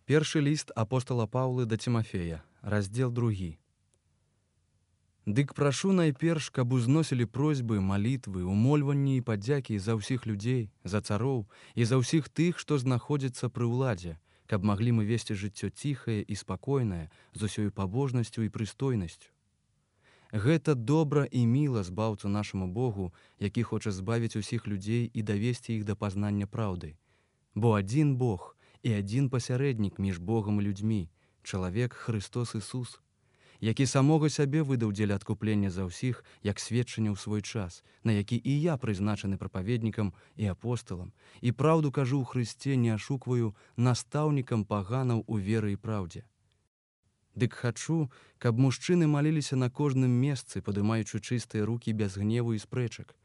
Першы ліст апостала Паўлы да Цімафея, раздзел 2. Дык прашу найперш, каб узносілі просьбы, малітвы, умольванні і падзякі за ўсіх людзей, за цароў і за ўсіх тых, што знаходзяцца пры ўладзе, каб маглі мы весці жыццё ціхае і спакойнае, з усёю пабожнасцю і прыстойнасцю. Гэта добра і міла збаўцу нашаму Богу, які хоча збавіць усіх людзей і давесці іх да пазнання праўды. Бо адзін Бог і адзін пасярэднік між Богам і людзьмі, чалавек Христос Ісус, які самога сябе выдаў дзеля адкуплення за ўсіх, як сведчанне ў свой час, на які і я прызначаны прапаведнікам і апосталам, і праўду кажу ў Хрысце, не ашукваю, настаўнікам паганаў у веры і праўдзе. Дык хачу, каб мужчыны маліліся на кожным месцы, падымаючы чыстыя рукі без гневу і спрэчак.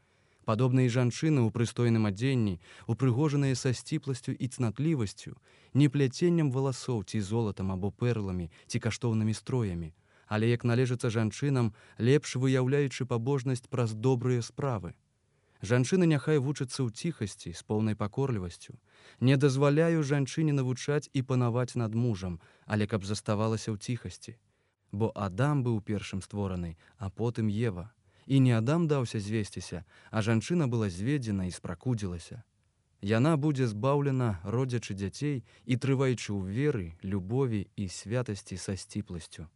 Падобна і жанчыны ў прыстойным адзенні, упрыгожаныя са сціпласцю і цнатлівасцю, не пляценнем валасоў ці золатам або перламі ці каштоўнымі строямі, але як належыцца жанчынам, лепш выяўляючы пабожнасць праз добрыя справы. Жанчыны няхай вучацца ў ціхасці з поўнай пакорлівасцю. Не дазваляю жанчыне навучаць і панаваць над мужам, але каб заставалася ў ціхасці. Бо Адам быў першым створаны, а потым Ева. І не Адам даўся звесціся, а жанчына была зведзена і спракудзілася. Яна будзе збаўлена, родзячы дзяцей і трываючы ў веры, любові і святасці са сціпласцю.